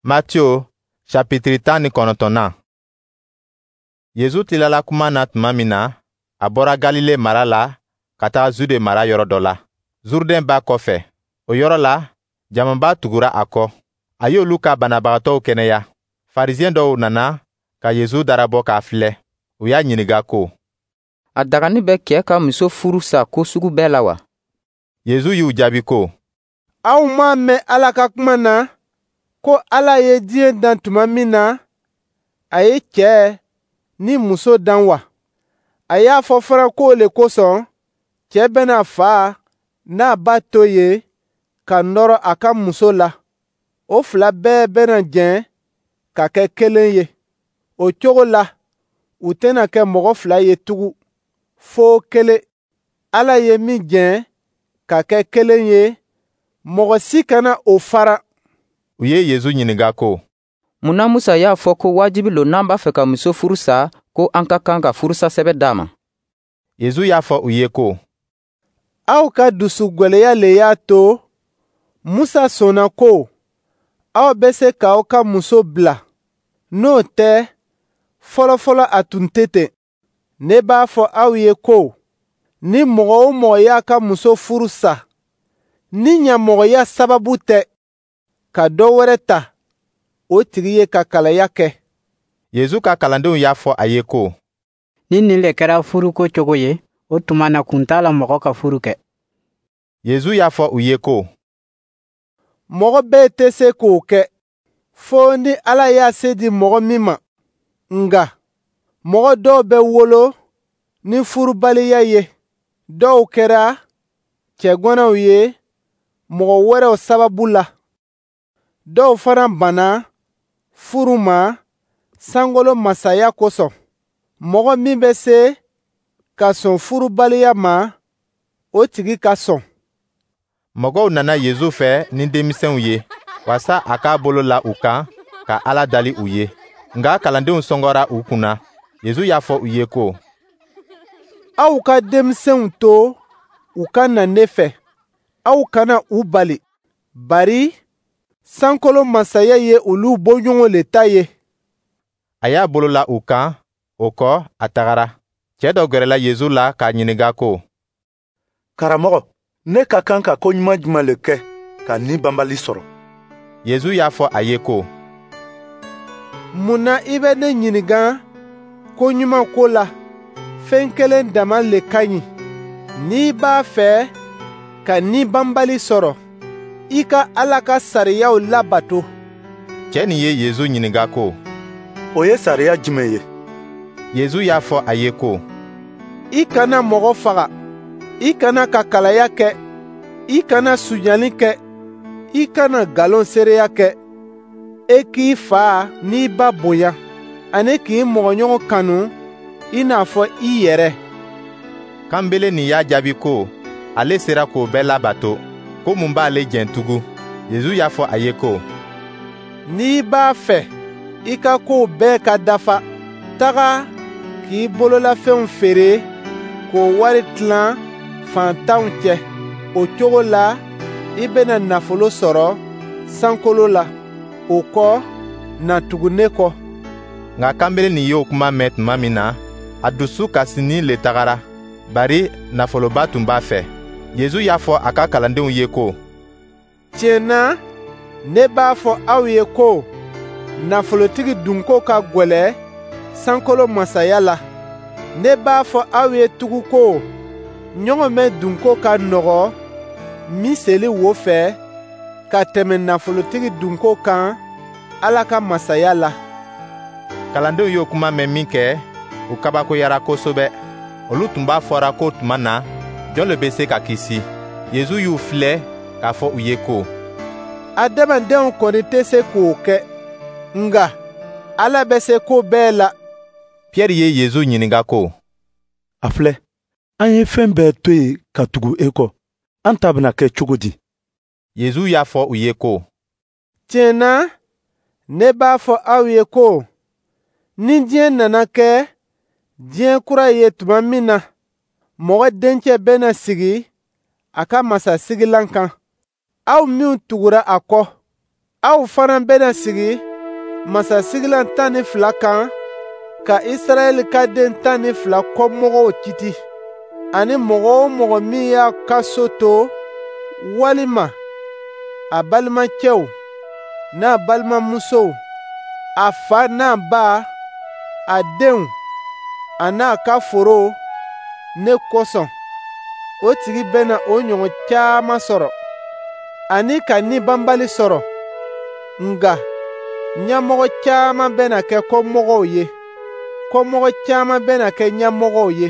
Matiyo chapitiri 19nan. Yezu tilala kuma na tuma min na, a bɔra Galile mara la ka taga Zude mara yɔrɔ dɔ la, Zurudɛn ba kɔfɛ. O yɔrɔ la, jamaba tugura a kɔ. A y'olu ka banabagatɔw kɛnɛya. Farisiɛn dɔw nana ka Yezu darabɔ k'a filɛ. U y'a ɲininka ko: A dagani bɛ cɛɛ ka muso furu sa ko sugu bɛɛ la wa? Yezu y'u jaabi ko: Aw m'a mɛn Ala ka kuma na ko Ala ye diɲɛ dan tuma min na, a ye cɛɛ ni muso dan wa? A y'a fɔ fana k'o le kosɔn, cɛɛ bɛna fa n'a ba to yen ka nɔrɔ a ka muso la. O fila bɛɛ bɛna jɛn ka kɛ kelen ye. O cogo la, u tɛna kɛ mɔgɔ fila ye tugun, fo kelen. Ala ye min jɛn ka kɛ kelen ye, mɔgɔ si kana o fara. U ye Yezu ɲininka ko: Mun na Musa y'a fɔ ko wajibi lo n'an b'a fɛ ka muso furu sa, ko an ka kan ka furusa sɛbɛn d'a ma? Yezu y'a fɔ u ye ko: Aw ka dusu gwɛlɛya le y'a to Musa sɔnna ko aw bɛ se k'aw ka muso bila. N'o tɛ, fɔlɔfɔlɔ a tun tɛ ten. Ne b'a fɔ aw ye ko ni mɔgɔ o mɔgɔ y'a ka muso furu sa, ni ɲamɔgɔya sababu tɛ, ka dɔ wɛrɛ ta, o tigi ye kakalaya kɛ. Yezu ka kalandenw y'a fɔ a ye ko: Ni nin le kɛra furuko cogo ye, o tuma na kun t'a la mɔgɔ ka furu kɛ. Yezu y'a fɔ u ye ko: Mɔgɔ bɛɛ tɛ se k'o kɛ, fo ni Ala y'a se di mɔgɔ min ma. Nka mɔgɔ dɔw bɛ wolo ni furubaliya ye, dɔw kɛra cɛganaw ye mɔgɔ wɛrɛw sababu la. Dɔw fana banna furu ma sankolo masaya kosɔn. Mɔgɔ min bɛ se ka sɔn furubaliya ma, o tigi ka sɔn. Mɔgɔw nana Yezu fɛ ni denmisɛnw ye, waasa a k'a bolo la u kan ka Ala dali u ye. Nka kalandenw sɔngɔra u kunna. Yezu y'a fɔ u ye ko: Aw ka denmisɛnw to u ka na ne fɛ, aw kana u bali, bari sankolo masaya ye olu bɔɲɔgɔn le ta ye. A y'a bolo la u kan, o kɔ, a tagara. Cɛɛ dɔ gɛrɛla Yezu la k'a ɲininka ko: Karamɔgɔ, ne ka kan ka ko ɲuman jumɛn le kɛ ka ni banbali sɔrɔ? Yezu y'a fɔ a ye ko: Mun na i bɛ ne ɲininka ko ɲuman ko la? Fɛn kelen dama le ka ɲi. N'i b'a fɛ ka ni banbali sɔrɔ, i ka Ala ka sariyaw labato. Cɛɛ nin ye Yezu ɲininka ko: O ye sariya jumɛn ye? Yezu y'a fɔ a ye ko: I kana mɔgɔ faga, i kana kakalaya kɛ, i kana sonyali kɛ, i kana nkalon seereya kɛ, e k'i fa n'i ba bonya, ani k'i mɔgɔɲɔgɔn kanu i n'a fɔ i yɛrɛ. Kanbele nin y'a jaabi ko ale sera k'o bɛɛ labato, ko mun b'ale jɛn tugun? Yezu y'a fɔ a ye ko: N'i b'a fɛ i ka kow bɛɛ ka dafa, taga k'i bololafɛnw feere k'o wari tilan faantanw cɛ. O cogo la, i bɛna nafolo sɔrɔ sankolo la. O kɔ, na tugu ne kɔ. Nka kanbele nin y'o kuma mɛn tuma min na, a dusu kasinin le tagara, bari nafoloba tun b'a fɛ. Yezu y'a fɔ a ka kalandenw ye ko: Tiɲɛ na, ne b'a fɔ aw ye ko nafolotigi dunko ka gwɛlɛ sankolo masaya la. Ne b'a fɔ aw ye tugun ko ɲɔgɔmɛ dunko ka nɔgɔ miseli wo fɛ ka tɛmɛ nafolotigi dunko kan Ala ka masaya la. Kalandenw y'o kuma mɛn min kɛ, u kabakoyara kosɛbɛ. Olu tun b'a fɔra ko tuma na, jɔn le bɛ se ka kisi? Yezu y'u filɛ k'a fɔ u ye ko: Adamadenw kɔni tɛ se k'o kɛ, nka Ala bɛ se ko bɛɛ la. Piyɛri ye Yezu ɲininka ko: A filɛ, an ye fɛn bɛɛ to yen ka tugu e kɔ. An ta bɛna kɛ cogo di? Yezu y'a fɔ u ye ko: Tiɲɛ na, ne b'a fɔ aw ye ko ni diɲɛ nana kɛ diɲɛ kura ye tuma min na, mɔgɔ dencɛ bɛna sigi a ka masasigilan kan. Aw minw tugura a kɔ, Aw fana bɛna sigi masasigilan 12 kan ka Israɛl ka den 12 kɔmɔgɔw kiti. Ani mɔgɔ o mɔgɔ min y'a ka so to, walima a balimacɛw n'a balimamusow, a fa n'a ba, a denw, a n'a ka foro, ne kosɔn, o tigi bɛna o ɲɔgɔn caman sɔrɔ, ani ka ni banbali sɔrɔ. Nka ɲɛmɔgɔ caman bɛna kɛ kɔmɔgɔw ye, kɔmɔgɔ caman bɛna kɛ ɲɛmɔgɔw ye.